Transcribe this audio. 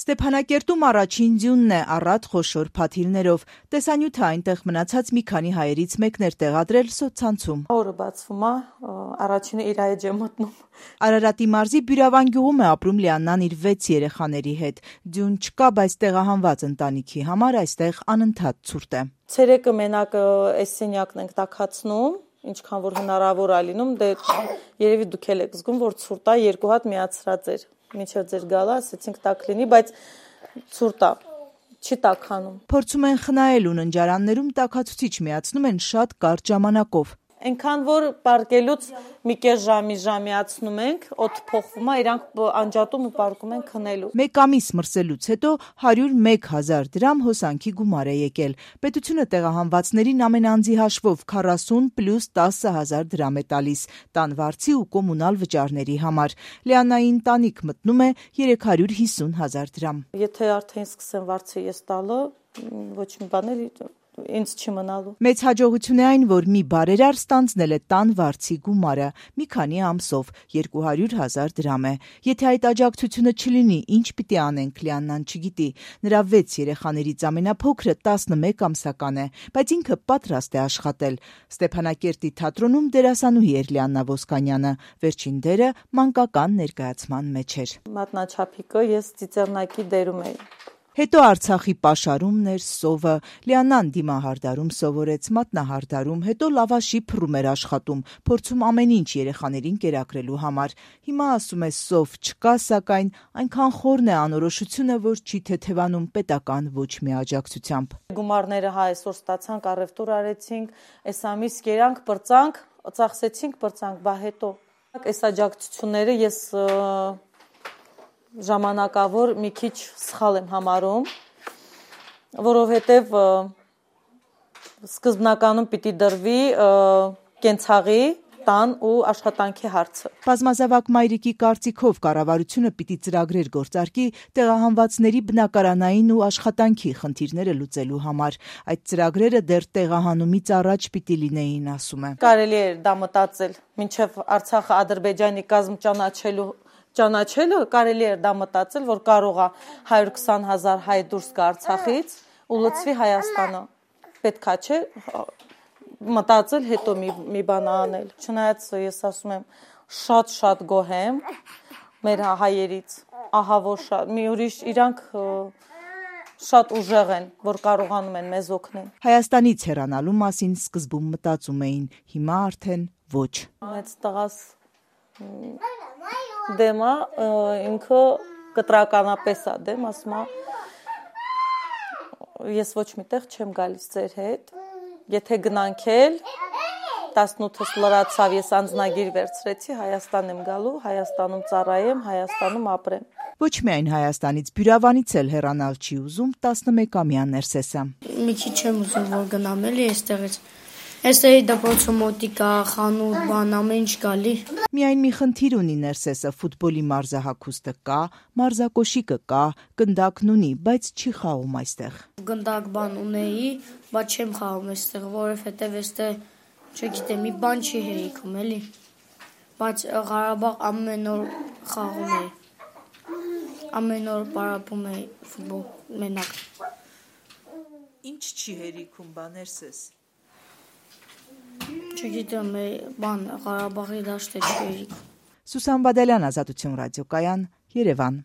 Ստեփանակերտում առաջին ձյունն է առատ խոշոր փաթիլներով։ Տեսանյութը այնտեղ մնացած մի քանի հայերից մեկն էր տեղադրել սոցցանցում։ Օրը բացվում է, առաջինը իր հայ ջեմ մտնում։ Արարատի մարզի Բյուրավան գյուղում է ապրում Լիաննան իր 6 երեխաների հետ։ Ձյուն չկա, բայց տեղահանված ընտանիքի համար այստեղ անընդհատ ցուրտ է։ Ցերեկը մենակ այս սենյակն ենք տաքացնում, ինչքան որ հնարավոր է լինում, դե երևի դուք էլ եք զգում, որ ցուրտ է, 2 հատ միացրած էր։ Մինչև ձեր գալը, ասեցինք տաք լինի, բայց ցուրտ է, չի տաքանում։ Փորձում են խնայել ու ննջարաններում տաքացուցիչ միացնում են շատ կարճ ժամանակով։ Այնքան որ պարկելուց մի կես ժամիացնում ենք, օդ փոխվում է, իրանք անջատում ու պարկում են քնելու։ Մեկ ամիս մրսելուց հետո 101,000 դրամ հոսանքի գումար է եկել։ Պետությունը տեղահանվածներին ամեն անձի հաշվով 40 + 10,000 դրամ է տալիս տան վարձի ու կոմունալ վճարների համար։ Լիաննայի ընտանիք մտնում է 350,000 դրամ։ Եթե արդեն սկսեմ վարձը ես տալը, ոչ մի բան էլ ինձ չի մնալու։ Մեծ հաջողություն է այն, որ մի բարերար ստանձնել է տան վարձի գումարը, մի քանի ամսով 200,000 դրամ է։ Եթե այդ աջակցությունը չլինի, ինչ պիտի անենք, Լիաննան չգիտի։ Նրա 6 երեխաներից ամենափոքրը 11 ամսական է, բայց ինքը պատրաստ է աշխատել։ Ստեփանակերտի թատրոնում դերասանուհի էր Լիաննա Ոսկանյանը։ Վերջին դերը մանկական ներկայացման մեջ էր։ Մատնաչափիկը ես ծիծեռնակի դերում էի։ Հետո Արցախի պաշարումն էր, սովը, Լիաննան դիմահարդարում սովորեց, մատնահարդարում, հետո լավաշի փռում էր աշխատում, փորձում ամեն ինչ երեխաներին կերակրելու համար։ Հիմա ասում է սով չկա, սակայն այնքան խորն է անորոշությունը, որ չի թեթևանում պետական ոչ մի աջակցությամբ։ Գումարները այսօր ստացանք, առևտուր արեցինք, այս ամիս կերանք, պրծանք, ծախսեցինք, պրծանք, բա հետո այս աջակցությունները ես ժամանակավոր մի քիչ սխալ եմ համարում, որովհետև սկզբնականում պիտի դրվի կենցաղի, տան ու աշխատանքի հարցը։ Բազմազավակ մայրիկի կարծիքով կառավարությունը պիտի ծրագրեր գործարկի տեղահանվածների բնակարանային ու աշխատանքի խնդիրները լուծելու համար։ Այդ ծրագրերը դեռ տեղահանումից առաջ պիտի լինեին, ասում է։ Կարելի է դա մտածել, մինչև Արցախը Ադրբեջանի կազմ ճանաչելը կարելի է դա մտածել, որ կարող է 120,000 հայ դուրս գա Արցախից ու լծվի Հայաստանը։ Պետքա չէ մտածել, հետո մի բան անել։ Չնայած ես ասում եմ, շատ գոհ եմ մեր հայերից, ահա որ շատ, մի ուրիշ իրանք շատ ուժեղ են, որ կարողանում են մեզ օգնել։ Հայաստանից հեռանալու մասին սկզբում մտածում էին, հիմա արդեն ոչ։ Մեծ տղաս դեմա ինքը կտրականապես է դեմ, ասում է ես ոչ միտեղ չեմ գալիս ձեր հետ, եթե գնանք էլ 18-ս լրացավ, ես անձնագիր վերցրեցի, Հայաստան եմ գալու, Հայաստանում ծառայեմ, Հայաստանում ապրեմ։ Ոչ միայն Հայաստանից, Բյուրավանից էլ հեռանալ չի ուզում 11-ամյա Ներսեսը։ Մի քիչ եմ ուզում, որ գնամ էլի այստեղից։ Այստեղի դպրոցը մոտիկ է, խանութ, բան, ամեն ինչ գալի։ Միայն մի խնդիր ունի Ներսեսը, ֆուտբոլի մարզահագուստը կա, մարզակոշիկը կա, գնդակն ունի, բայց չի խաղում այստեղ։ Գնդակ բան ունեի, բայց չեմ խաղում այստեղ, որովհետև այստեղ, չգիտեմ, մի բան չի հերիքում, էլի։ Բայց Ղարաբաղ ամեն օր խաղում էի։ Ամեն օր պարապում էի ֆուտբոլ մենակ։ Ինչ չի հերիքում, բա Ներսես։ Չգիտեմ, բան Ղարաբաղի դաշտը չի հերիքում։ Սուսան Բադալյան, Ազատություն ռադիոկայան, Երևան։